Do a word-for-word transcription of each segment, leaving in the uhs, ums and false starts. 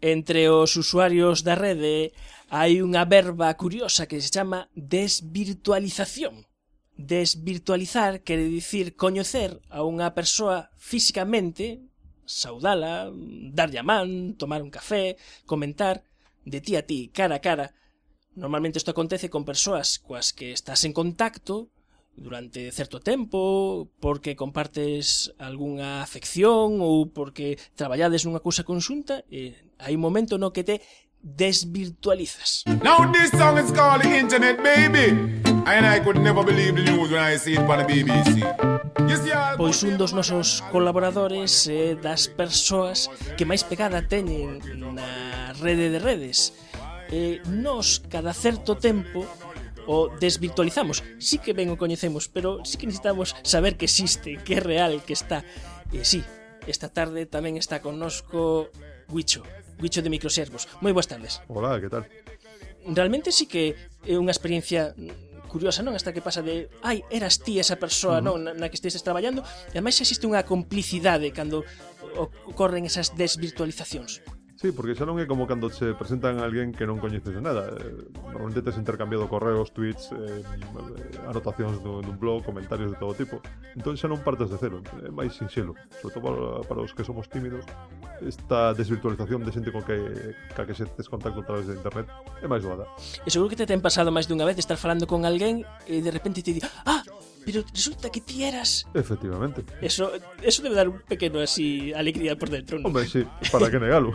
Entre os usuarios da rede hai unha verba curiosa que se chama desvirtualización. Desvirtualizar quere dicir coñecer a unha persoa físicamente, saudala, darlle a man, tomar un café, comentar de ti a ti, cara a cara. Normalmente isto acontece con persoas coas que estás en contacto durante certo tempo, porque compartes algunha afección ou porque traballades nunha cousa conxunta, e hai un momento no que te desvirtualizas. Now this song is called the Internet Baby, and I could never believe the news when I see it on the B B C. Pois un dos nosos colaboradores é das persoas que máis pegada teñen na rede de redes. E nos, cada certo tempo, o desvirtualizamos. Sí que ben o coñecemos, pero sí que necesitamos saber que existe, que é real, que está. E sí, esta tarde tamén está connosco Guicho, Guicho de Microservos. Moi boas tardes. Hola, que tal? Realmente sí que é unha experiencia curiosa, non? Hasta que pasa de, ai, eras ti esa persoa, uh-huh. non, na, na que estes traballando, e ademais existe unha complicidade cando ocorren esas desvirtualizacións. Sí, porque xa non é como cando se presentan a alguén que non coñeces de nada. Normalmente tes intercambiado correos, tweets, eh, anotacións dun, dun blog, comentarios de todo tipo. Entón xa non partes de cero, é máis sinxelo. Sobre todo para, para os que somos tímidos, esta desvirtualización de xente con que, ca que se tes contacto a través de internet é máis doada. E seguro que te ten pasado máis dunha vez de estar falando con alguén e de repente te di, ah, pero resulta que ti eras... Efectivamente. Eso, eso debe dar un pequeno así alegría por dentro, non? Hombre, sí, para que negalo.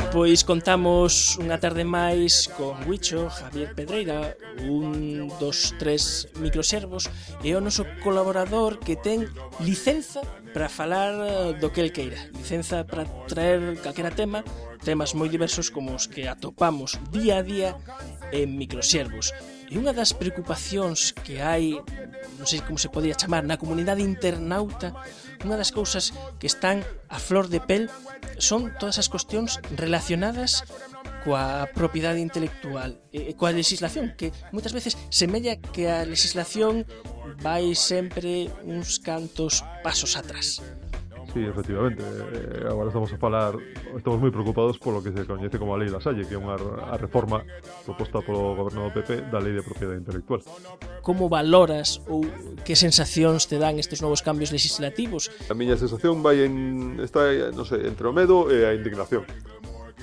Pois contamos unha tarde máis con Guicho, Javier Pedreira, un dos tres microservos, e o noso colaborador que ten licenza para falar do que el queira, licenza para traer calquera tema, temas moi diversos como os que atopamos día a día en microservos. E unha das preocupacións que hai, non sei como se podría chamar, na comunidade internauta, unha das cousas que están a flor de pel son todas as cuestións relacionadas coa propiedade intelectual e coa legislación, que moitas veces semella que a legislación vai sempre uns cantos pasos atrás. Sí, efectivamente. Eh, agora estamos a falar, estamos moi preocupados polo que se coñece como a Lei Lasalle, que é unha a reforma proposta polo goberno do P P da Lei de Propiedade Intelectual. Como valoras ou que sensacións te dan estes novos cambios legislativos? A miña sensación vai en está, non sei, entre o medo e a indignación.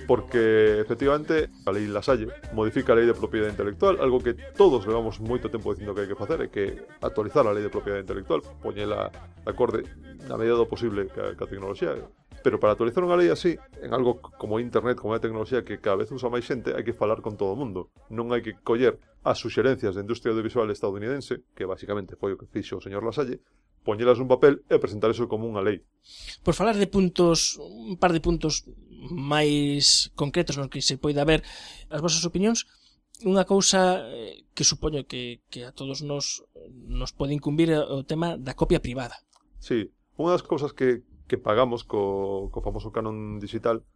Porque, efectivamente, a Lei Lasalle modifica a Lei de Propiedade Intelectual, algo que todos levamos moito tempo dicindo que hai que facer, é que actualizar a Lei de Propiedade Intelectual, poñela de acorde na medida do posible ca, ca tecnoloxía. Pero para actualizar unha lei así, en algo como internet, como a tecnoloxía que cada vez usa máis xente, hai que falar con todo o mundo. Non hai que coller as suxerencias da industria audiovisual estadounidense, que basicamente foi o que fixo o señor Lasalle, poñelas nun papel e presentar eso como unha lei. Por falar de puntos, un par de puntos máis concretos nos que se poida ver as vosas opinións, unha cousa que supoño que, que a todos nos, nos pode incumbir o tema da copia privada. Sí, unha das cousas que, que pagamos co, co famoso canon digital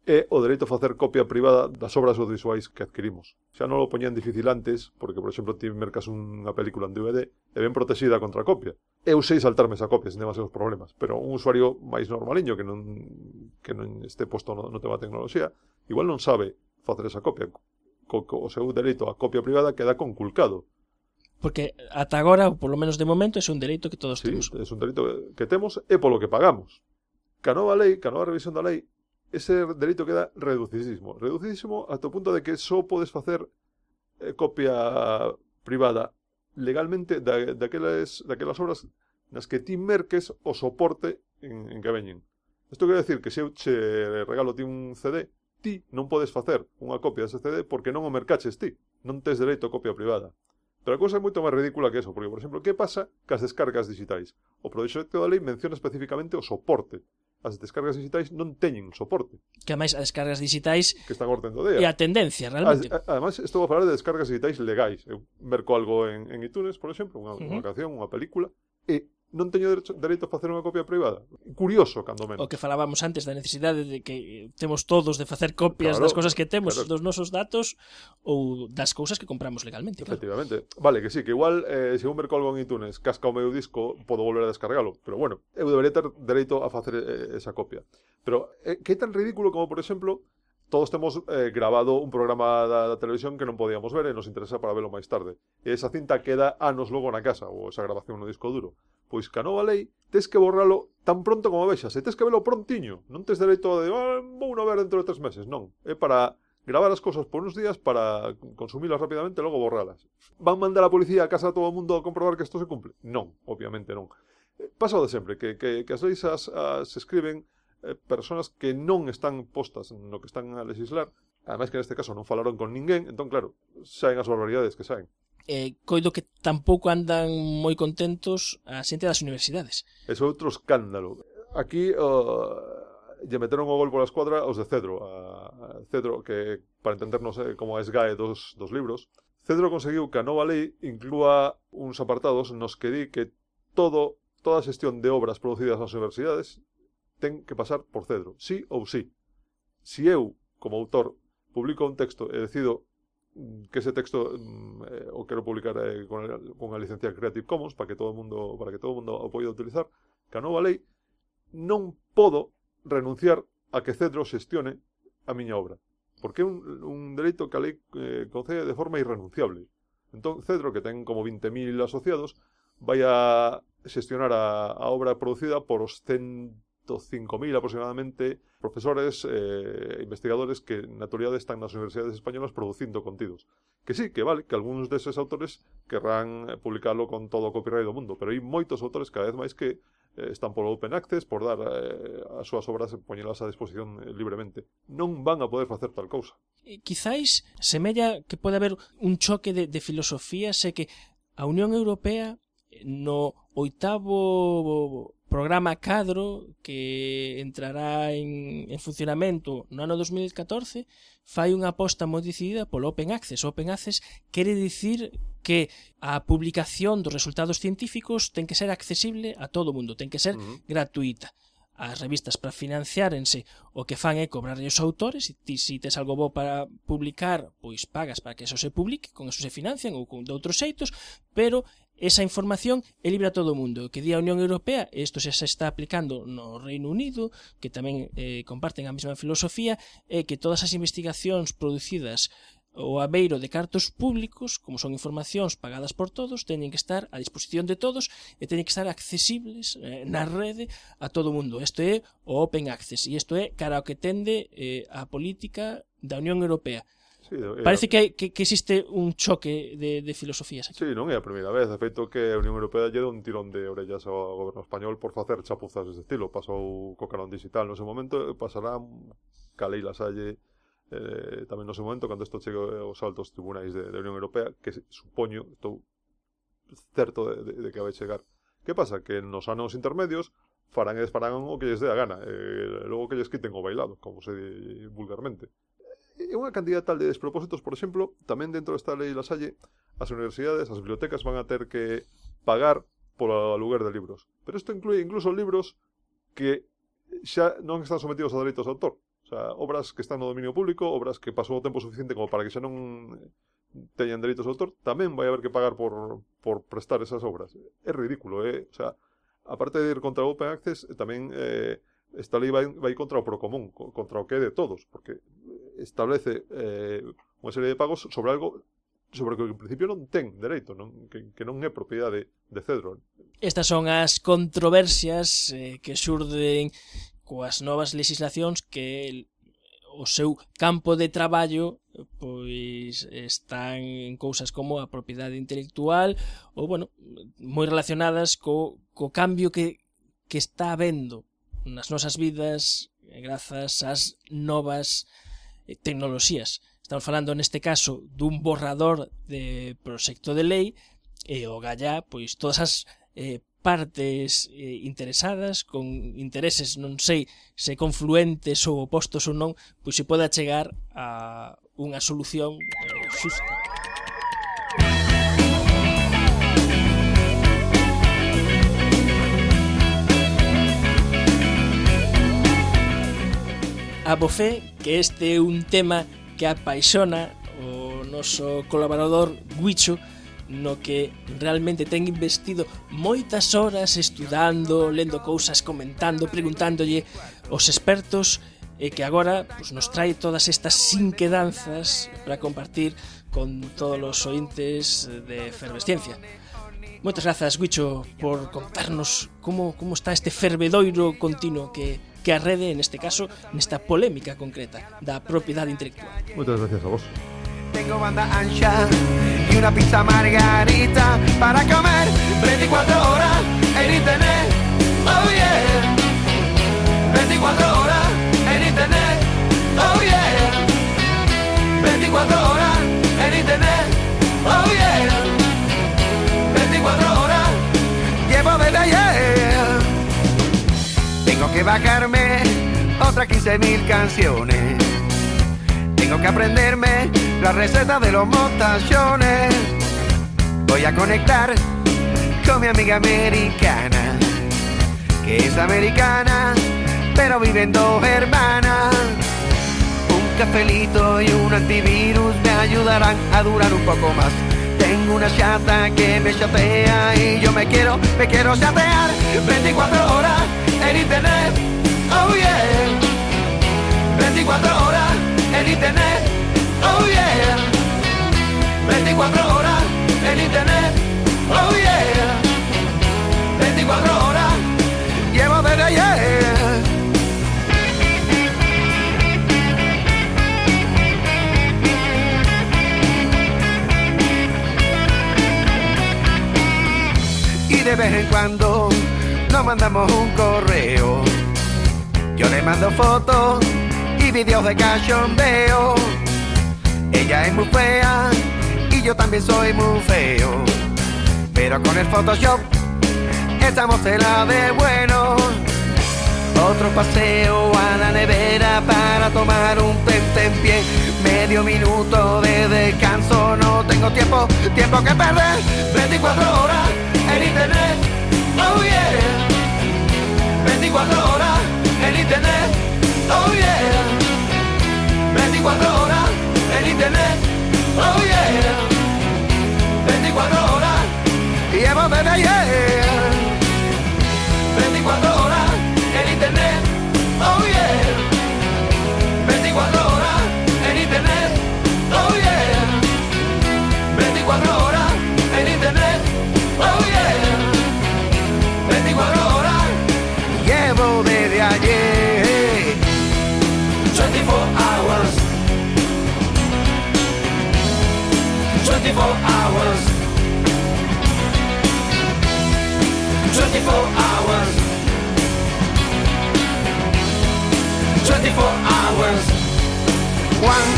é o dereito a facer copia privada das obras audiovisuais que adquirimos. Xa non lo poñían difícil antes, porque, por exemplo, ti mercas unha película en D V D e ben protexida contra a copia. Eu sei saltarme esa copia sen demasiados problemas, pero un usuario máis normaliño que non, que non este posto no, no tema de tecnoloxía, igual non sabe facer esa copia. Co, co, o seu dereito a copia privada queda conculcado. Porque ata agora, ou polo menos de momento, é un dereito que todos sí, temos. É un dereito que temos e polo que pagamos. Ca nova lei, ca nova revisión da lei, ese dereito queda reducidísimo. Reducidísimo ata o punto de que só podes facer eh, copia privada legalmente da, daquelas, daquelas obras nas que ti merques o soporte en, en que veñen. Isto quere decir que se eu che regalo ti un C D, ti non podes facer unha copia dese C D porque non o mercaches ti. Non tes dereito a copia privada. Pero a cousa é moito máis ridícula que eso, porque, por exemplo, que pasa cas descargas digitais? O proxecto da lei menciona especificamente o soporte. As descargas digitais non teñen soporte. Que ademais as descargas digitais que están orden do día. E a tendencia, realmente. As, ademais, estou a falar de descargas digitais legais. Eu merco algo en, en iTunes, por exemplo, unha, uh-huh. unha canción, unha película, e non teño derecho, dereito a facer unha copia privada. Curioso, cando menos. O que falábamos antes da necesidade de que temos todos de facer copias claro, das cousas que temos, claro. dos nosos datos ou das cousas que compramos legalmente. Claro. Efectivamente. Vale, que sí, que igual eh, se un merco algo en iTunes casca o meu disco, podo volver a descargalo, pero bueno, eu debería ter dereito a facer eh, esa copia. Pero eh, que é tan ridículo como, por exemplo, todos temos eh, grabado un programa da, da televisión que non podíamos ver e nos interesa para velo máis tarde. E esa cinta queda anos logo na casa, ou esa grabación no disco duro. Pois ca nova lei, tes que borralo tan pronto como vexas, e tes que velo prontiño. Non tes dereito de, ah, vou non ver dentro de tres meses, non. É para gravar as cousas por uns días para consumilas rapidamente e logo borralas. Van mandar a policía a casa a todo o mundo a comprobar que isto se cumple? Non, obviamente non. Pasa o de sempre, que, que, que as leis as, as escriben eh, personas que non están postas no que están a legislar, ademais que neste caso non falaron con ninguén, entón claro, saen as barbaridades que saen. Eh, coido que tampouco andan moi contentos a xente das universidades. Ese outro escándalo. Aquí uh, lle meteron o gol pola escuadra os de Cedro. A, a Cedro, que para entendernos eh, como a esgae dos, dos libros, Cedro conseguiu que a nova lei inclúa uns apartados nos que di que todo, toda a xestión de obras producidas nas universidades ten que pasar por Cedro, sí ou sí. Si eu, como autor, publico un texto e decido que ese texto eh, o quero publicar eh, con, a, con a licencia Creative Commons para que todo o mundo para que todo o mundo o poida utilizar, que a nova lei non podo renunciar a que Cedro xestione a miña obra, porque é un, un dereito que a lei eh, concede de forma irrenunciable. Entón Cedro, que ten como vinte mil asociados, vai a xestionar a, a obra producida por os ciento cinco mil aproximadamente profesores e eh, investigadores que na actualidade están nas universidades españolas producindo contidos. Que sí, que vale, que algúns deses autores querrán publicarlo con todo o copyright do mundo, pero hai moitos autores cada vez máis que eh, están por open access, por dar eh, as súas obras e poñelas a disposición eh, libremente. Non van a poder facer tal cousa. Quizáis semella que pode haber un choque de, de filosofía, sé que a Unión Europea no oitavo programa cadro que entrará en, en funcionamento no ano dos mil catorce fai unha aposta moi decidida polo Open Access. Open Access quere dicir que a publicación dos resultados científicos ten que ser accesible a todo o mundo, ten que ser uh-huh. gratuita. As revistas para financiárense o que fan é cobrarlle os autores, e ti se tes algo bo para publicar, pois pagas para que eso se publique, con eso se financian ou con de outros xeitos, pero esa información é libre a todo o mundo. O que di a Unión Europea, e isto xa se está aplicando no Reino Unido, que tamén eh, comparten a mesma filosofía, é que todas as investigacións producidas o abeiro de cartos públicos, como son informacións pagadas por todos, teñen que estar a disposición de todos e teñen que estar accesibles eh, na rede a todo o mundo. Isto é o Open Access, e isto é cara ao que tende eh, a política da Unión Europea. Sí, é, Parece que, que, que existe un choque de, de filosofías aquí. Sí, non é a primeira vez. De feito que a Unión Europea lle dá un tirón de orellas ao goberno español por facer chapuzas deste estilo. Pasou co canón digital no seu momento, pasará ca Lei Lasalle eh, tamén no seu momento, cando isto chegue aos altos tribunais de, de Unión Europea, que supoño, estou certo de, de, de que vai chegar. Que pasa? Que nos anos intermedios farán e desfarán o que lles dé a gana, e logo que lles quiten o bailado, como se di vulgarmente. E unha cantidad tal de despropósitos, por exemplo, tamén dentro desta lei Lasalle, as universidades, as bibliotecas van a ter que pagar polo aluguer de libros. Pero isto inclui incluso libros que xa non están sometidos a dereitos de autor. O sea, obras que están no dominio público, obras que pasou o tempo suficiente como para que xa non teñan dereitos de autor, tamén vai haber que pagar por, por prestar esas obras. É ridículo, eh? O sea, aparte de ir contra o Open Access, tamén eh, esta lei vai, vai contra o Procomún, contra o que é de todos, porque establece eh, unha serie de pagos sobre algo sobre o que en principio non ten dereito, non? Que, que non é propiedade de Cedro. Estas son as controversias eh, que xurden coas novas legislacións que o seu campo de traballo pois están en cousas como a propiedade intelectual ou, bueno, moi relacionadas co, co cambio que, que está habendo nas nosas vidas grazas ás novas tecnoloxías. Estamos falando neste caso dun borrador de proxecto de lei e o gallá, pois todas as eh, partes eh, interesadas con intereses non sei se confluentes ou opostos ou non, pois se poda chegar a unha solución eh, xusta. a bofé que este é un tema que apaixona o noso colaborador Guicho, no que realmente ten investido moitas horas estudando, lendo cousas, comentando, preguntándolle aos expertos, e que agora pues, nos trae todas estas inquedanzas para compartir con todos os ointes de Efervesciencia. Moitas grazas, Guicho, por contarnos como, como está este fervedoiro continuo que, que a rede, neste caso, nesta polémica concreta da propiedade intelectual. Moitas gracias a vos. Tengo banda ancha y una pizza margarita para comer veinticuatro horas en internet. Oh yeah. veinticuatro horas en internet. Oh yeah. veinticuatro horas en internet. Oh yeah. veinticuatro horas llevo desde ayer. Tengo que bajarme otras quince mil canciones. Tengo que aprenderme la receta de los mostachones. Voy a conectar con mi amiga americana, que es americana, pero viven dos hermanas. Un cafelito y un antivirus me ayudarán a durar un poco más. Tengo una chata que me chatea y yo me quiero, me quiero chatear veinticuatro horas en internet. Oh yeah. veinticuatro horas en internet. Oh yeah. veinticuatro horas en internet. Oh yeah. veinticuatro horas llevo desde ayer. Y de vez en cuando nos mandamos un correo. Yo le mando fotos y videos de cachondeo. Ella es muy fea y yo también soy muy feo, pero con el Photoshop estamos en la de bueno. Otro paseo a la nevera para tomar un tentempié. Medio minuto de descanso, no tengo tiempo, tiempo que perder. veinticuatro horas en internet, oh yeah. veinticuatro horas en internet, oh yeah. veinticuatro horas en internet, oh yeah. veinticuatro horas llevo desde ayer. veinticuatro horas en internet, oh yeah. veinticuatro horas en internet, oh yeah. veinticuatro horas en internet, oh yeah. veinticuatro horas llevo desde ayer. twenty-four hours. twenty-four hours. twenty-four hours. twenty-four hours. One